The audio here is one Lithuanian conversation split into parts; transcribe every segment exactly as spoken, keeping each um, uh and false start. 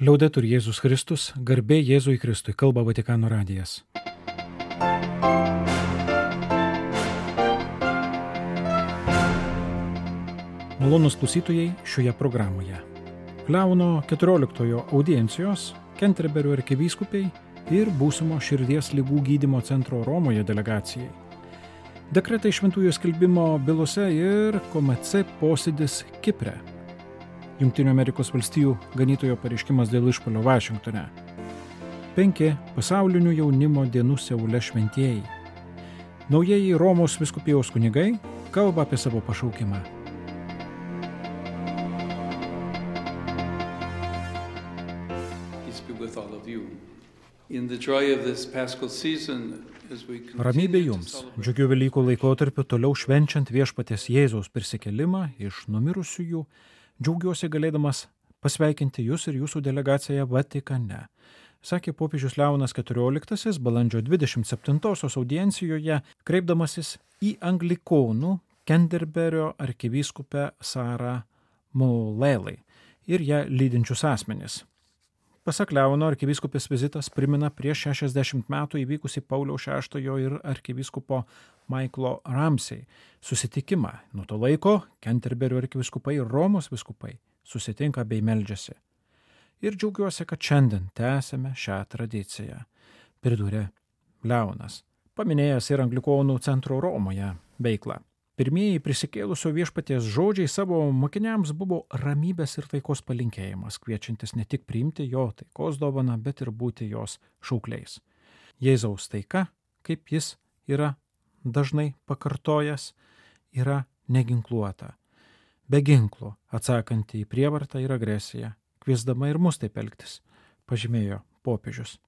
Liaudetur Jėzus Kristus, garbė Jėzui Kristui, kalba Vatikano radijas. Malonūs klausytojai šioje programoje. Leono keturioliktojo audiencijos, Kenterberio arkivyskupiai ir būsimo širdies ligų gydymo centro Romoje delegacijai. Dekretai šventųjų skelbimo bylose ir K M C posėdis Kipre. Jungtinių Amerikos valstijų ganytojo pareiškimas dėl išpuolio Vašingtone. Penki pasaulinių jaunimo dienų Seule šventieji. Naujieji Romos vyskupijos kunigai kalba apie savo pašaukimą. Ramybė jums, džiugiu Velykų laikotarpiu toliau švenčiant Viešpaties Jėzaus prisikėlimą iš numirusiųjų, džiaugiuosi galėdamas pasveikinti jūs ir jūsų delegaciją Vatikane, sakė popiežius Leonas keturioliktasis balandžio dvidešimt septintosios audiencijoje, kreipdamasis į anglikonų Kenterberio arkivyskupę Sarą Maulelai ir ją lydinčius asmenis. Pasak Leono, arkivyskupės vizitas primena prieš šešiasdešimt metų įvykusį Pauliaus šeštojo ir arkivyskupo Maiklo Ramsey susitikimą. Nuo to laiko Kenterberio arkivyskupai ir Romos vyskupai susitinka bei meldžiasi. Ir džiaugiuosi, kad šiandien tęsime šią tradiciją, pridūrė Leonas, paminėjęs ir anglikonų centro Romoje veiklą. Pirmieji prisikėlusio Viešpaties žodžiai savo mokiniams buvo ramybės ir taikos palinkėjimas, kviečiantis ne tik priimti jo taikos dovaną, bet ir būti jos šaukliais. Jėzaus taika, kaip jis yra dažnai pakartojęs, yra neginkluota, be ginklų, atsakanti į prievartą ir agresiją, kviesdama ir mus taip elgtis, pažymėjo popiežius.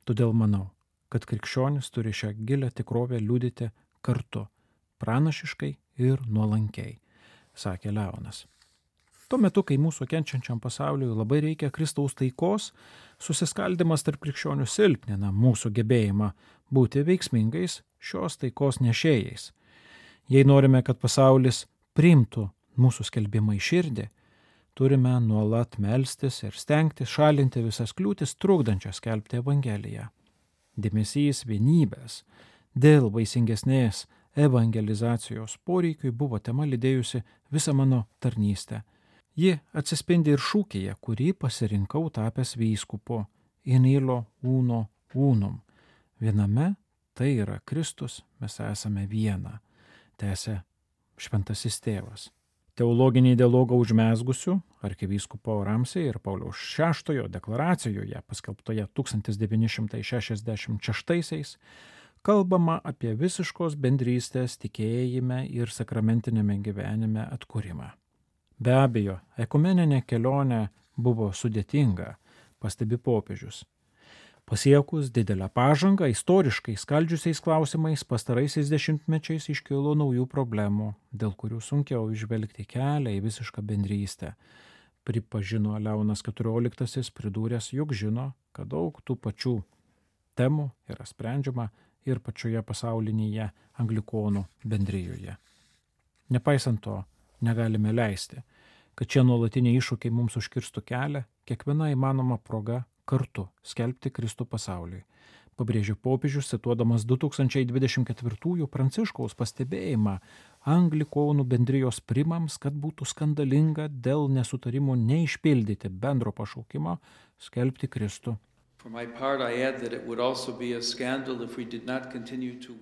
Todėl manau, kad krikščionis turi šią gilią tikrovę liudyti kartu, pranašiškai ir nuolankiai, sakė Leonas. Tuo metu, kai mūsų kenčiančiam pasauliui labai reikia Kristaus taikos, susiskaldimas tarp krikščionių silpnina mūsų gebėjimą būti veiksmingais šios taikos nešėjais. Jei norime, kad pasaulis priimtų mūsų skelbimą į širdį, turime nuolat melstis ir stengtis šalinti visas kliūtis trukdančias skelbti Evangeliją. Dėmesys vienybės dėl vaisingesnės evangelizacijos poreikiui buvo tema lydėjusi visą mano tarnystę. Ji atsispindi ir šūkyje, kurį pasirinkau tapęs vyskupu in illo uno unum. Viename tai yra Kristus, mes esame viena, tęsė šventasis tėvas. Teologinį dialogą užmezgusių arkivyskupo Ramsey ir Pauliaus šeštojo deklaracijoje, paskelbtoje tūkstantis devyni šimtai šešiasdešimt šeštaisiais, kalbama apie visiškos bendrystės tikėjime ir sakramentinėme gyvenime atkūrimą. Be abejo, ekumeninė kelionė buvo sudėtinga, pastebi popiežius. Pasiekus didelę pažangą istoriškai skaldžiusiais klausimais pastaraisiais dešimtmečiais iškilo naujų problemų, dėl kurių sunkiau įžvelgti kelią į visišką bendrystę. Pripažino Leonas keturioliktasis, pridūręs, jog žino, kad daug tų pačių temų yra sprendžiama ir pačioje pasaulinėje anglikonų bendrijoje. Nepaisant to, negalime leisti, kad šie nuolatiniai iššūkiai mums užkirstų kelią kiekviena įmanoma proga kartu skelbti Kristų pasauliui. Pabrėžė popiežius, cituodamas du tūkstančiai dvidešimt ketvirtųjų Pranciškaus pastebėjimą anglikonų bendrijos primams, kad būtų skandalinga dėl nesutarimų neišpildyti bendro pašaukimo skelbti Kristų.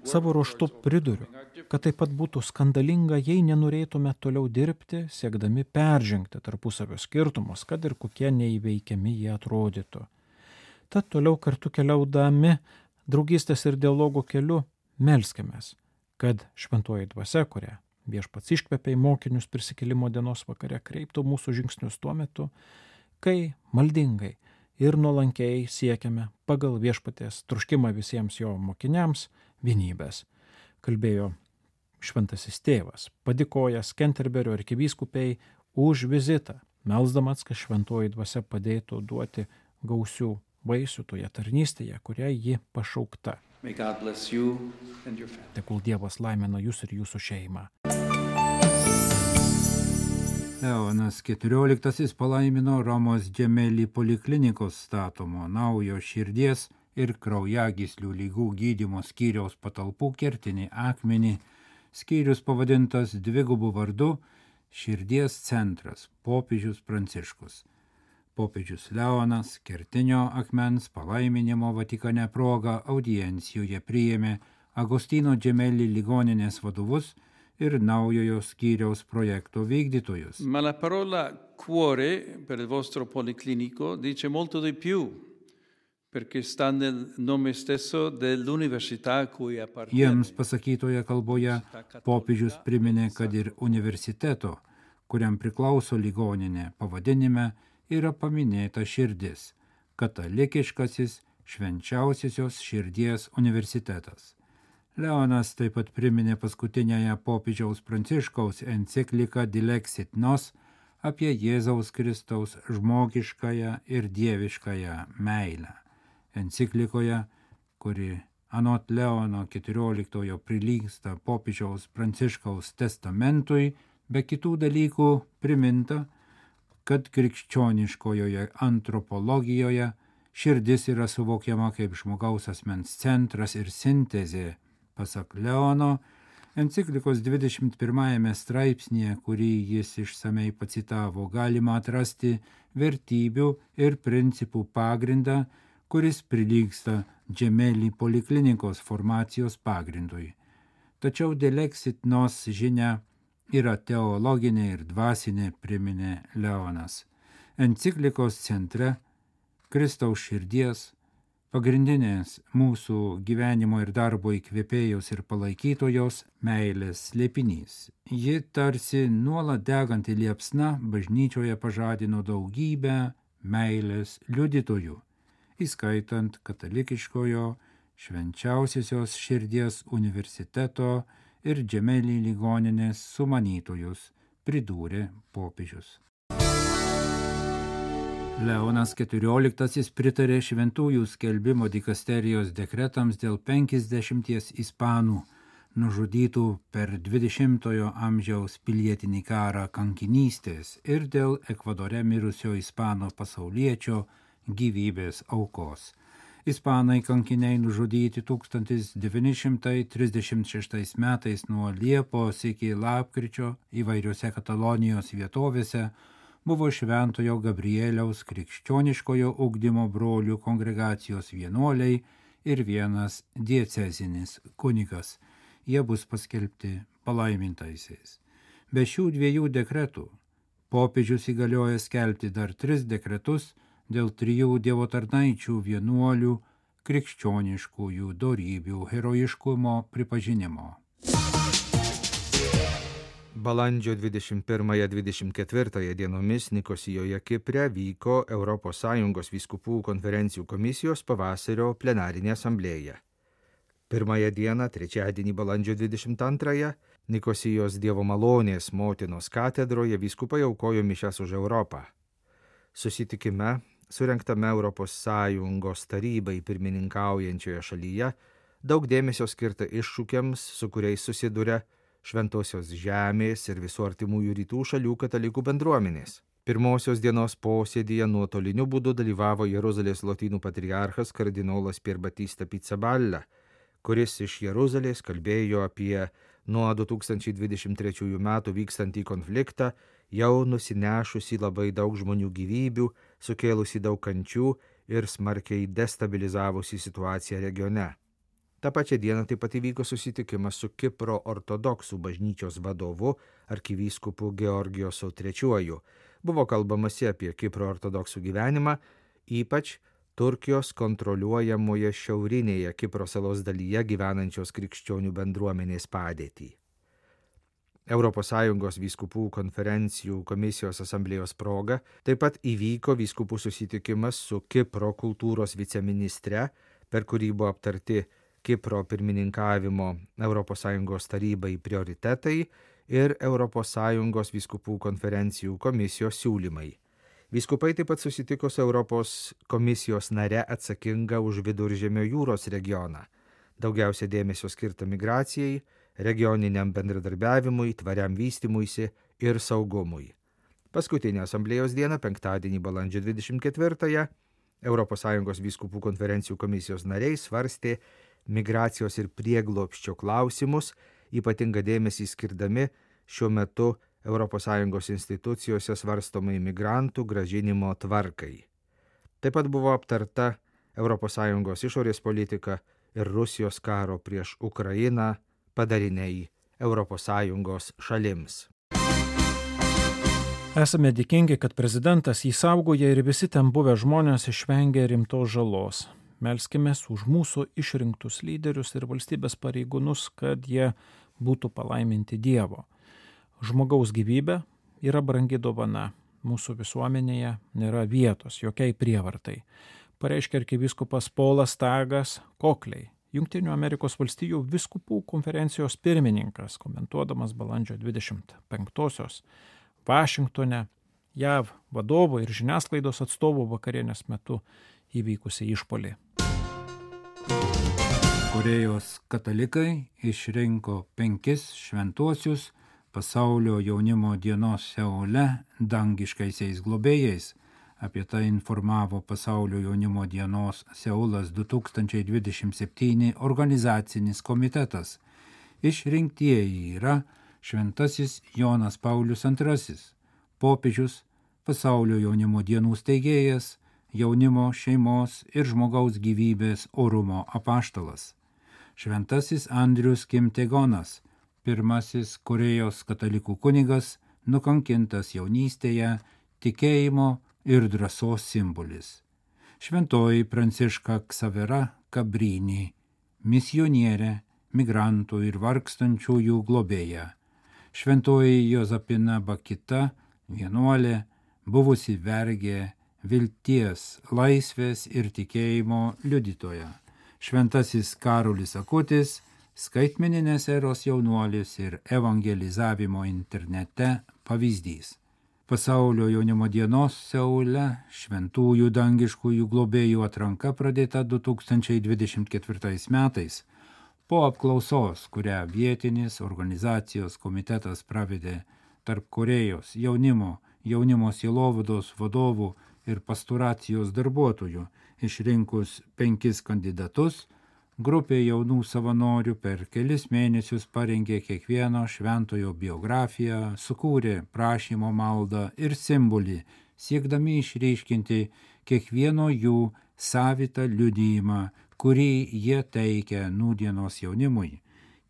Savo ruožtu priduriu, kad taip pat būtų skandalinga, jei nenorėtume toliau dirbti, siekdami peržengti tarpusavio skirtumus, kad ir kokie neįveikiami jie atrodytų. Tad toliau kartu keliaudami draugystės ir dialogo keliu melskimės, kad šventoji dvasia, kurią Viešpats iškvepia į mokinius prisikėlimo dienos vakare, kreiptų mūsų žingsnius tuo metu, kai maldingai ir nuolankiai siekiame pagal Viešpaties troškimą visiems jo mokiniams vienybės, kalbėjo šventasis tėvas, padėkojęs Kenterberio arkivyskupiai už vizitą, melsdamas, kad šventoji dvasia padėtų duoti gausių vaisių toje tarnystėje, kurią ji pašaukta. Tegul Dievas laimina jūs ir jūsų šeimą. Leonas keturioliktasis palaimino Romos Gemelli poliklinikos statomo naujo širdies ir kraujagyslių lygų gydymo skyriaus patalpų kertinį akmenį. Skyrius pavadintas dvigubu vardu Širdies centras popiežius Pranciškus. Popiežius Leonas kertinio akmens palaiminimo Vatikane proga audiencijoje priėmė Agostino Gemelli ligoninės vadovus ir naujojo skyriaus projekto vykdytojus. Ma la parola cuore per il vostro policlinico dice molto di più, perché sta nel nome stesso dell'università a cui appartiene. Jiems pasakytoje kalboje popiežius priminė, kad ir universiteto, kuriam priklauso ligoninė, pavadinime yra paminėta širdis, katalikiškasis švenčiausiosios širdies universitetas. Leonas taip pat priminė paskutinėje popiežiaus Pranciškaus encikliką Dilexit Nos apie Jėzaus Kristaus žmogiškąją ir dieviškąją meilę. Enciklikoje, kuri anot Leono keturioliktojo prilygsta popiežiaus Pranciškaus testamentui, be kitų dalykų priminta, kad krikščioniškojoje antropologijoje širdis yra suvokiama kaip žmogaus asmens centras ir sintezė. Pasak Leono, enciklikos dvidešimt pirmajame straipsnėje, kurį jis išsamei pacitavo, galima atrasti vertybių ir principų pagrindą, kuris prilygsta Gemelli poliklinikos formacijos pagrindui. Tačiau Dilexit Nos žinia yra teologinė ir dvasinė, priminė Leonas. Enciklikos centre Kristaus širdies, pagrindinės mūsų gyvenimo ir darbo įkvėpėjos ir palaikytojos meilės slėpinys. Ji tarsi nuolat deganti liepsna bažnyčioje pažadino daugybę meilės liudytojų, įskaitant katalikiškojo švenčiausiosios širdies universiteto ir Gemelli ligoninės sumanytojus, pridūrė popiežius. Leonas keturioliktasis pritarė šventųjų skelbimo dikasterijos dekretams dėl penkiasdešimties ispanų nužudytų per dvidešimtojo amžiaus pilietinį karą kankinystės ir dėl Ekvadore mirusio ispano pasauliečio gyvybės aukos. Ispanai kankiniai nužudyti tūkstantis devyni šimtai trisdešimt šeštais metais nuo Liepos iki lapkričio įvairiose Katalonijos vietovėse buvo Šventojo Gabrieliaus krikščioniškojo ugdymo brolių kongregacijos vienuoliai ir vienas diecezinis kunigas. Jie bus paskelbti palaimintaisiais. Be šių dviejų dekretų popiežius įgalioja skelbti dar tris dekretus dėl trijų dievo tarnaičių vienuolių krikščioniškųjų dorybių herojiškumo pripažinimo. Balandžio dvidešimt pirmąją dvidešimt ketvirtąją dienomis Nikosijoje Kipre vyko Europos Sąjungos vyskupų konferencijų komisijos pavasario plenarinė asamblėja. Pirmąją dieną, trečiadienį balandžio dvidešimt antrąją, Nikosijos Dievo malonės motinos katedroje vyskupai aukojo mišias už Europą. Susitikime, surengtame Europos Sąjungos tarybai pirmininkaujančioje šalyje, daug dėmesio skirta iššūkiams, su kuriais susiduria Šventosios žemės ir visų artimųjų rytų šalių katalikų bendruomenės. Pirmosios dienos posėdyje nuotoliniu būdu dalyvavo Jeruzalės lotynų patriarchas kardinolas Pier Battista Pizzaballa, kuris iš Jeruzalės kalbėjo apie nuo du tūkstančiai dvidešimt trečiųjų metų vykstantį konfliktą, jau nusinešusi labai daug žmonių gyvybių, sukėlusi daug kančių ir smarkiai destabilizavusi situaciją regione. Ta pačia diena taip pat įvyko susitikimas su Kipro ortodoksų bažnyčios vadovu arkivyskupu Georgijosu trečiuoju. Buvo kalbamasi apie Kipro ortodoksų gyvenimą, ypač Turkijos kontroliuojamoje šiaurinėje Kipro salos dalyje gyvenančios krikščionių bendruomenės padėtį. Europos Sąjungos vyskupų konferencijų komisijos asamblėjos proga taip pat įvyko vyskupų susitikimas su Kipro kultūros viceministre, per kurį buvo aptarti Kipro pirmininkavimo Europos Sąjungos tarybai prioritetai ir Europos Sąjungos vyskupų konferencijų komisijos siūlymai. Vyskupai taip pat susitiko su Europos komisijos nare atsakinga už Viduržemio jūros regioną. Daugiausia dėmesio skirta migracijai, regioniniam bendradarbiavimui, tvariam vystymuisi ir saugumui. Paskutinę asamblėjos dieną, penktadienį balandžio dvidešimt ketvirtąją, Europos Sąjungos vyskupų konferencijų komisijos nariai svarstė migracijos ir prieglobsčio klausimus, ypatingą dėmesį skirdami šiuo metu Europos Sąjungos institucijose svarstomai migrantų grąžinimo tvarkai. Taip pat buvo aptarta Europos Sąjungos išorės politika ir Rusijos karo prieš Ukrainą padariniai Europos Sąjungos šalims. Esame dėkingi, kad prezidentas jį saugoja ir visi ten buvę žmonės išvengė rimtos žalos. Melskimės už mūsų išrinktus lyderius ir valstybės pareigūnus, kad jie būtų palaiminti Dievo. Žmogaus gyvybė yra brangi dovana. Mūsų visuomenėje nėra vietos jokiai prievartai. Pareiškė arkivyskupas Polas Tagas Kokliai, Jungtinių Amerikos valstijų vyskupų konferencijos pirmininkas, komentuodamas balandžio dvidešimt penktosios Vašingtone J A V vadovo ir žiniasklaidos atstovų vakarienės metu įvykusią išpuolį. Korėjos katalikai išrinko penkis šventuosius pasaulio jaunimo dienos Seule dangiškaisiais globėjais. Apie tai informavo pasaulio jaunimo dienos Seulas du tūkstančiai dvidešimt septyni organizacinis komitetas. Išrinktieji yra Šventasis Jonas Paulius antrasis, popiežius, pasaulio jaunimo dienų steigėjas, jaunimo, šeimos ir žmogaus gyvybės orumo apaštalas. Šventasis Andrius Kim Tae-gonas, pirmasis Korėjos katalikų kunigas, nukankintas jaunystėje, tikėjimo ir drąsos simbolis. Šventoji Pranciška Ksavera Kabrini, misionierė, migrantų ir vargstančiųjų globėja. Šventoji Jozapina Bakita, vienuolė, buvusi vergė, vilties, laisvės ir tikėjimo liudytoja. Šventasis Karolis Akutis, skaitmeninės eros jaunuolis ir evangelizavimo internete pavyzdys. Pasaulio jaunimo dienos Seule šventųjų dangiškųjų globėjų atranka pradėta du tūkstančiai dvidešimt ketvirtais metais. Po apklausos, kurią vietinis organizacijos komitetas pravedė tarp Korėjos jaunimo, jaunimo sielovados vadovų ir pastoracijos darbuotojų, išrinkus penkis kandidatus, grupė jaunų savanorių per kelis mėnesius parengė kiekvieno šventojo biografiją, sukūrė prašymo maldą ir simbolį, siekdami išryškinti kiekvieno jų savitą liudijimą, kurį jie teikia nūdienos jaunimui.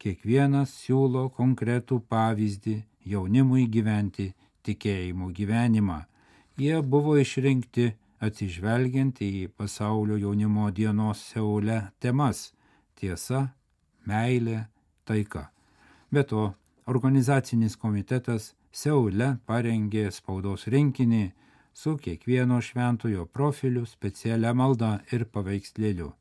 Kiekvienas siūlo konkretų pavyzdį jaunimui gyventi tikėjimo gyvenimą. Jie buvo išrinkti atsižvelgiant į pasaulio jaunimo dienos Seule temas – tiesa, meilė, taika. Be to, organizacinis komitetas Seule parengė spaudos rinkinį su kiekvieno šventojo profiliu, specialia malda ir paveikslėliu.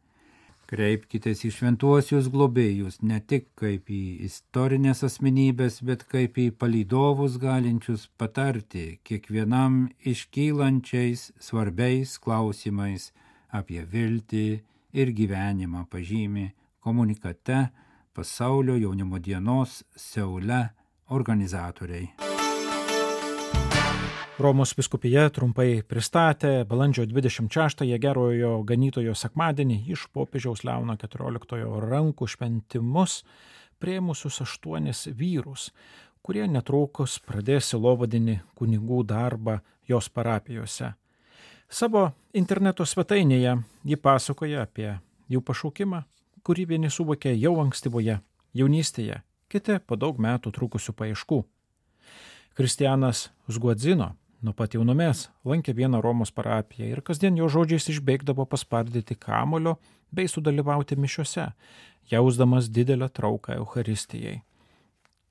Kreipkitės į šventuosius globėjus ne tik kaip į istorinės asmenybės, bet kaip į palydovus galinčius patarti kiekvienam iškylančiais svarbiais klausimais apie viltį ir gyvenimą, pažymi komunikate Pasaulio jaunimo dienos Seule organizatoriai. Romos vyskupija trumpai pristatė balandžio dvidešimt šeštąją Gerojo Ganytojo sekmadienį iš popiežiaus Leono keturioliktojo rankų šventimus priėmusius aštuonis vyrus, kurie netrukus pradės sielovadinį kunigų darbą jos parapijose. Savo interneto svetainėje ji pasakoja apie jų pašaukimą, kurį vieni suvokė jau ankstyvoje jaunystėje, kiti po daug metų trukusių paieškų. Kristianas Zguadzino nuo pat jaunumės lankė vieną Romos parapiją ir kasdien jo žodžiais išbėgdavo paspardyti kamulio bei sudalyvauti mišiose, jausdamas didelę trauką Eucharistijai.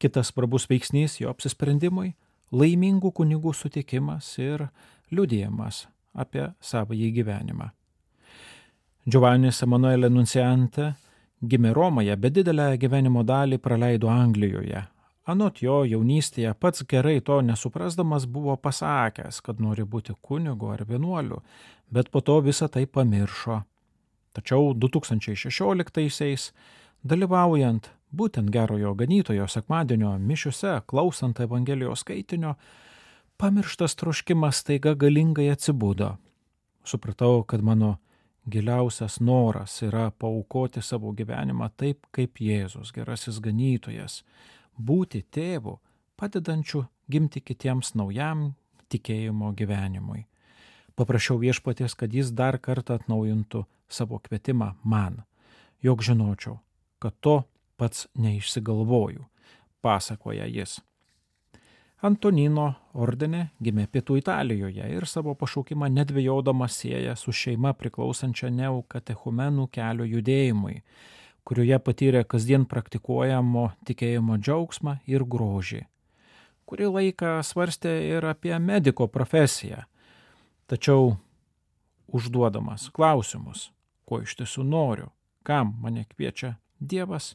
Kitas svarbus veiksnys jo apsisprendimui – laimingų kunigų sutikimas ir liudijimas apie savąjį gyvenimą. Giovannis Emanuele Nunciante gimė Romoje, bet didelę gyvenimo dalį praleido Anglijoje. Anot jo jaunystėje pats gerai to nesuprasdamas buvo pasakęs, kad nori būti kunigu ar vienuoliu, bet po to visą tai pamiršo. Tačiau du tūkstančiai šešioliktaisiais, dalyvaujant būtent Gerojo Ganytojo sekmadienio mišiose, klausant Evangelijos skaitinio, pamirštas troškimas staiga galingai atsibudo. Supratau, kad mano giliausias noras yra paaukoti savo gyvenimą taip, kaip Jėzus, gerasis ganytojas, būti tėvu, padedančiu gimti kitiems naujam tikėjimo gyvenimui. Paprašiau Viešpaties, kad jis dar kartą atnaujintų savo kvietimą man, jog žinočiau, kad to pats neišsigalvoju, pasakoja jis. Antonino ordine gimė Pietų Italijoje ir savo pašaukimą nedvejodamas sieja su šeima priklausančia neokatechumenų kelio judėjimui, kurioje patyrė kasdien praktikuojamo tikėjimo džiaugsmą ir grožį. Kurį laiką svarstė ir apie mediko profesiją, tačiau užduodamas klausimus, ko iš tiesų noriu, kam mane kviečia Dievas,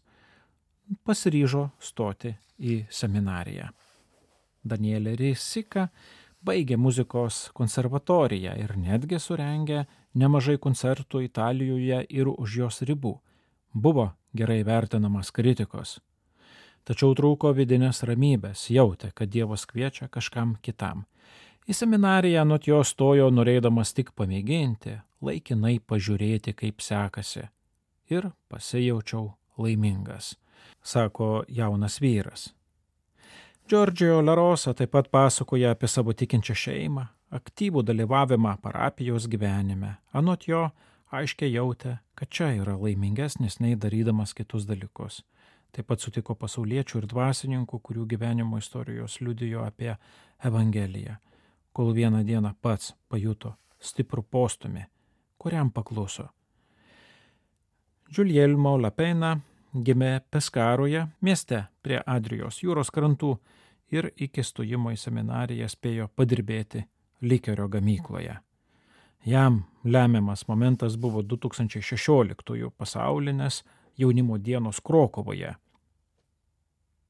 pasiryžo stoti į seminariją. Danielė Risika baigė muzikos konservatoriją ir netgi surengė nemažai koncertų Italijoje ir už jos ribų. Buvo gerai vertinamas kritikos. Tačiau trūko vidinės ramybės, jautė, kad Dievas kviečia kažkam kitam. Į seminariją anot jo stojo norėdamas tik pamėginti, laikinai pažiūrėti, kaip sekasi. Ir pasijaučiau laimingas, sako jaunas vyras. Giorgio La Rosa taip pat pasakoja apie savo tikinčią šeimą, aktyvų dalyvavimą parapijos gyvenime. Anot jo aiškiai jautė, kad čia yra laimingesnis nei darydamas kitus dalykus. Taip pat sutiko pasauliečių ir dvasininkų, kurių gyvenimo istorijos liudijo apie Evangeliją, kol vieną dieną pats pajuto stiprų postumį, kuriam pakluso. Giulielmo Lapena gimė Peskaroje, mieste prie Adrijos jūros krantų ir iki stojimo į seminariją spėjo padirbėti likerio gamykloje. Jam lemiamas momentas buvo du tūkstančiai šešioliktųjų pasaulinės jaunimo dienos Krokuvoje.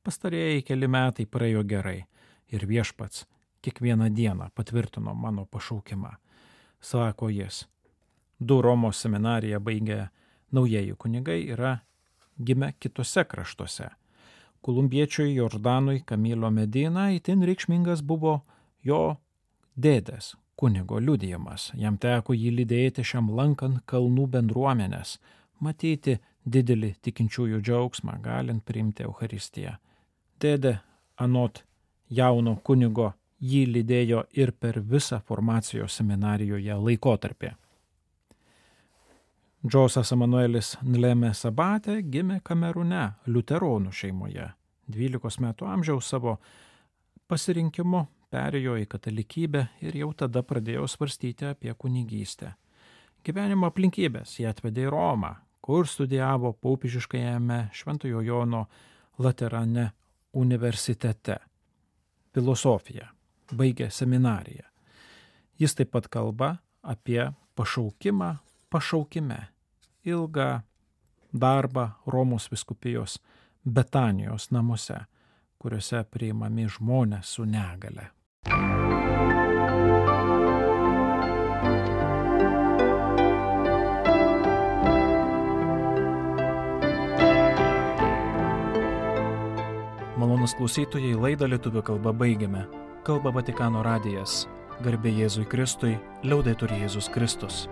Pastarėjai keli metai praėjo gerai ir Viešpats kiekvieną dieną patvirtino mano pašaukimą, sako jis. Du Romos seminariją baigę naujieji kunigai yra gimę kitose kraštuose. Kolumbiečiui Jordanui Camilo Medina itin reikšmingas buvo jo dėdės kunigo liudijimas. Jam teko jį lydėti šiam lankant kalnų bendruomenės, matyti didelį tikinčiųjų džiaugsmą, galint priimti Eucharistiją. Dėdė, anot jauno kunigo, jį lydėjo ir per visą formacijos seminarijoje laikotarpį. Džosas Emanuelis Nleme Sabate gimė Kamerūne, liuteronų šeimoje. dvylikos metų amžiaus savo pasirinkimu perėjo į katalikybę ir jau tada pradėjo svarstyti apie kunigystę. Gyvenimo aplinkybės jį atvedė į Romą, kur studijavo popiežiškajame Šventojo Jono Laterane universitete filosofiją, baigė seminariją. Jis taip pat kalba apie pašaukimą pašaukime, ilgą darbą Romos vyskupijos Betanijos namuose, kuriuose priimami žmonės su negale. Malonūs klausytojai, laidą lietuvių kalba baigiame. Kalba Vatikano radijas. Garbė Jėzui Kristui, liaudetur Jėzus Kristus.